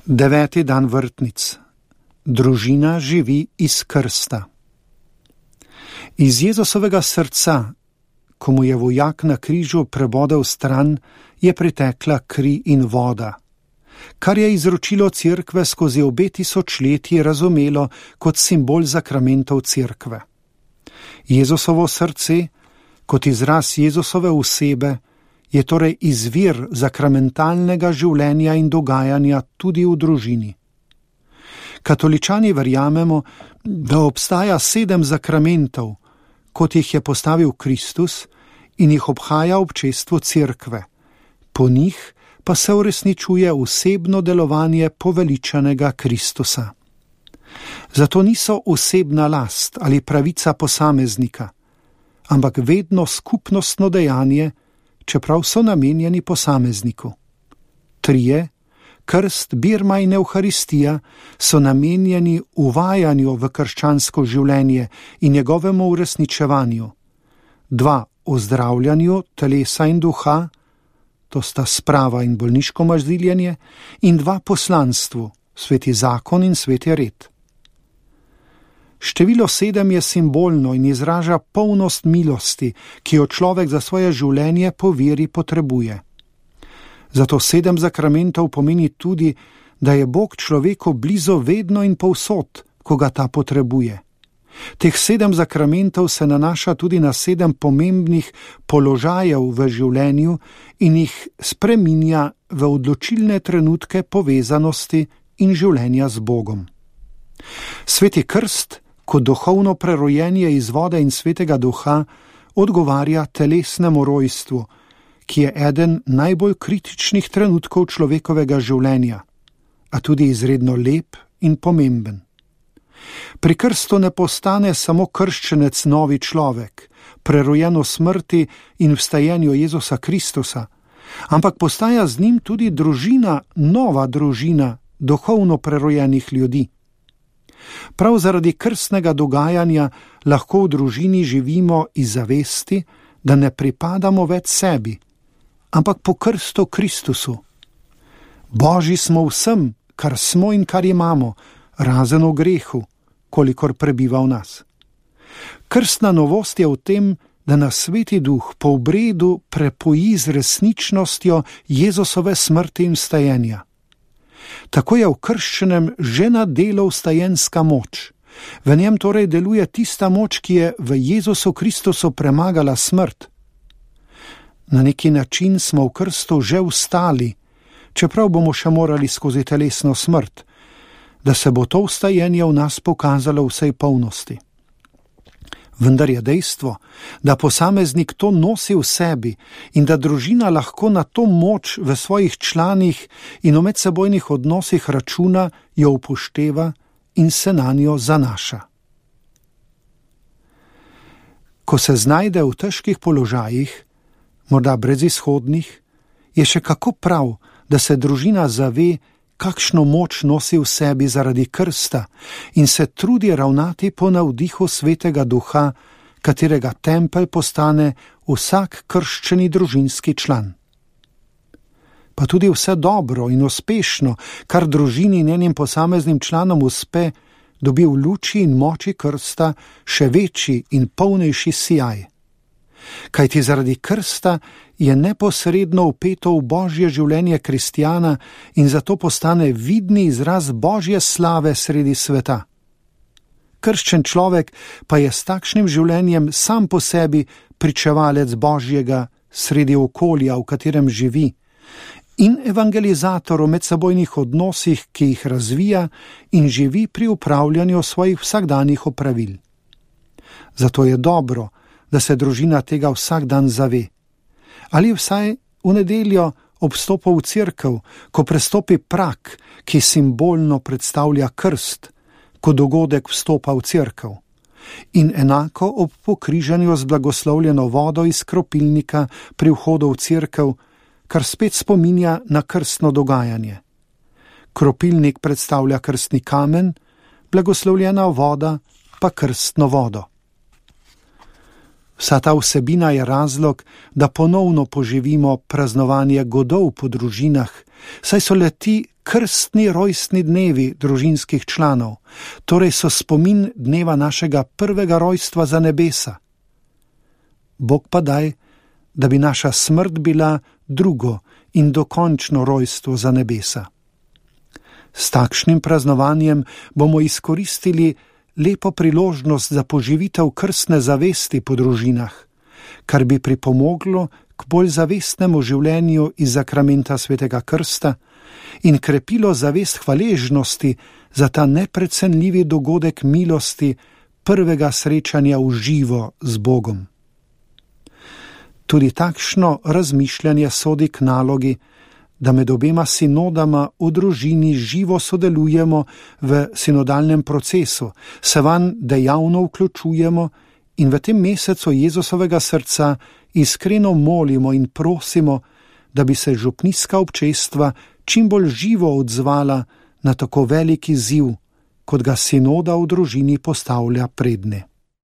9. dan vrtnic. Družina živi iz krsta. Iz Jezusovega srca, ko mu je vojak na križu prebodel stran, je pritekla kri in voda, kar je izročilo Cerkve skozi obe tisočletji razumelo kot simbol zakramentov Cerkve. Jezusovo srce, kot izraz Jezusove osebe, je torej izvir zakramentalnega življenja in dogajanja tudi v družini. Katoličani verjamemo, da obstaja 7 zakramentov, kot jih je postavil Kristus in jih obhaja občestvo Cerkve. Po njih pa se uresničuje osebno delovanje poveličanega Kristusa. Zato niso osebna last ali pravica posameznika, ampak vedno skupnostno dejanje, čeprav so namenjeni posamezniku. 3, krst, birma in evharistija, so namenjeni uvajanju v krščansko življenje in njegovemu uresničevanju. 2, ozdravljanju telesa in duha, to sta sprava in bolniško maziljenje, in 2, poslanstvu, sveti zakon in sveti red. Število 7 je simbolno in izraža polnost milosti, ki jo človek za svoje življenje po veri potrebuje. Zato 7 zakramentov pomeni tudi, da je Bog človeku blizu vedno in povsod, ko ga ta potrebuje. Teh 7 zakramentov se nanaša tudi na 7 pomembnih položajev v življenju in jih spreminja v odločilne trenutke povezanosti in življenja z Bogom. Sveti krst, kot duhovno prerojenje iz vode in svetega duha, odgovarja telesnemu rojstvu, ki je eden najbolj kritičnih trenutkov človekovega življenja, a tudi izredno lep in pomemben. Pri krstu ne postane samo krščenec novi človek, prerojen v smrti in vstajenju Jezusa Kristusa, ampak postaja z njim tudi družina, nova družina duhovno prerojenih ljudi. Prav zaradi krstnega dogajanja lahko v družini živimo iz zavesti, da ne pripadamo več sebi, ampak po krstu Kristusu. Božji smo vsem, kar smo in kar imamo, razen v grehu, kolikor prebiva v nas. Krstna novost je v tem, da nas Sveti Duh po obredu prepoji z resničnostjo Jezusove smrti in vstajenja. Tako je v krščenem že na delu vstajenska moč. V njem torej deluje tista moč, ki je v Jezusu Kristusu premagala smrt. Na neki način smo v krstu že vstali, čeprav bomo še morali skozi telesno smrt, da se bo to vstajenje v nas pokazalo v vsej polnosti. Vendar je dejstvo, da posameznik to nosi v sebi in da družina lahko na to moč v svojih članih in v medsebojnih odnosih računa, jo upošteva in se nanjo zanaša. Ko se znajde v težkih položajih, morda brezizhodnih, je še kako prav, da se družina zave, kakšno moč nosi v sebi zaradi krsta in se trudi ravnati po navdihu Svetega Duha, katerega tempelj postane vsak krščeni družinski član. Pa tudi vse dobro in uspešno, kar družini in njenim posameznim članom uspe, dobi v luči in moči krsta še večji in polnejši sijaj. Kajti zaradi krsta je neposredno vpeto v Božje življenje kristjana in zato postane vidni izraz Božje slave sredi sveta. Krščen človek pa je s takšnim življenjem sam po sebi pričevalec Božjega sredi okolja, v katerem živi, in evangelizator v medsebojnih odnosih, ki jih razvija in živi pri upravljanju svojih vsakdanjih opravil. Zato je dobro, da se družina tega vsak dan zave. Ali vsaj v nedeljo ob vstopu v cerkev, ko prestopi prak, ki simbolno predstavlja krst, ko dogodek vstopa v cerkev. In enako ob pokrižanju z blagoslovljeno vodo iz kropilnika pri vhodu v cerkev, kar spet spominja na krstno dogajanje. Kropilnik predstavlja krstni kamen, blagoslovljena voda pa krstno vodo. Vsa ta vsebina je razlog, da ponovno poživimo praznovanje godov po družinah, saj so le-ti krstni rojstni dnevi družinskih članov, torej so spomin dneva našega prvega rojstva za nebesa. Bog pa daj, da bi naša smrt bila drugo in dokončno rojstvo za nebesa. S takšnim praznovanjem bomo izkoristili lepo priložnost za poživitev krstne zavesti po družinah, kar bi pripomoglo k bolj zavestnemu življenju iz sakramenta svetega krsta in krepilo zavest hvaležnosti za ta neprecenljivi dogodek milosti prvega srečanja v živo z Bogom. Tudi takšno razmišljanje sodi k nalogi, da med obema sinodama v družini živo sodelujemo v sinodalnem procesu, se vanj dejavno vključujemo in v tem mesecu Jezusovega srca iskreno molimo in prosimo, da bi se župnijska občestva čim bolj živo odzvala na tako veliki izziv, kot ga sinoda v družini postavlja predne.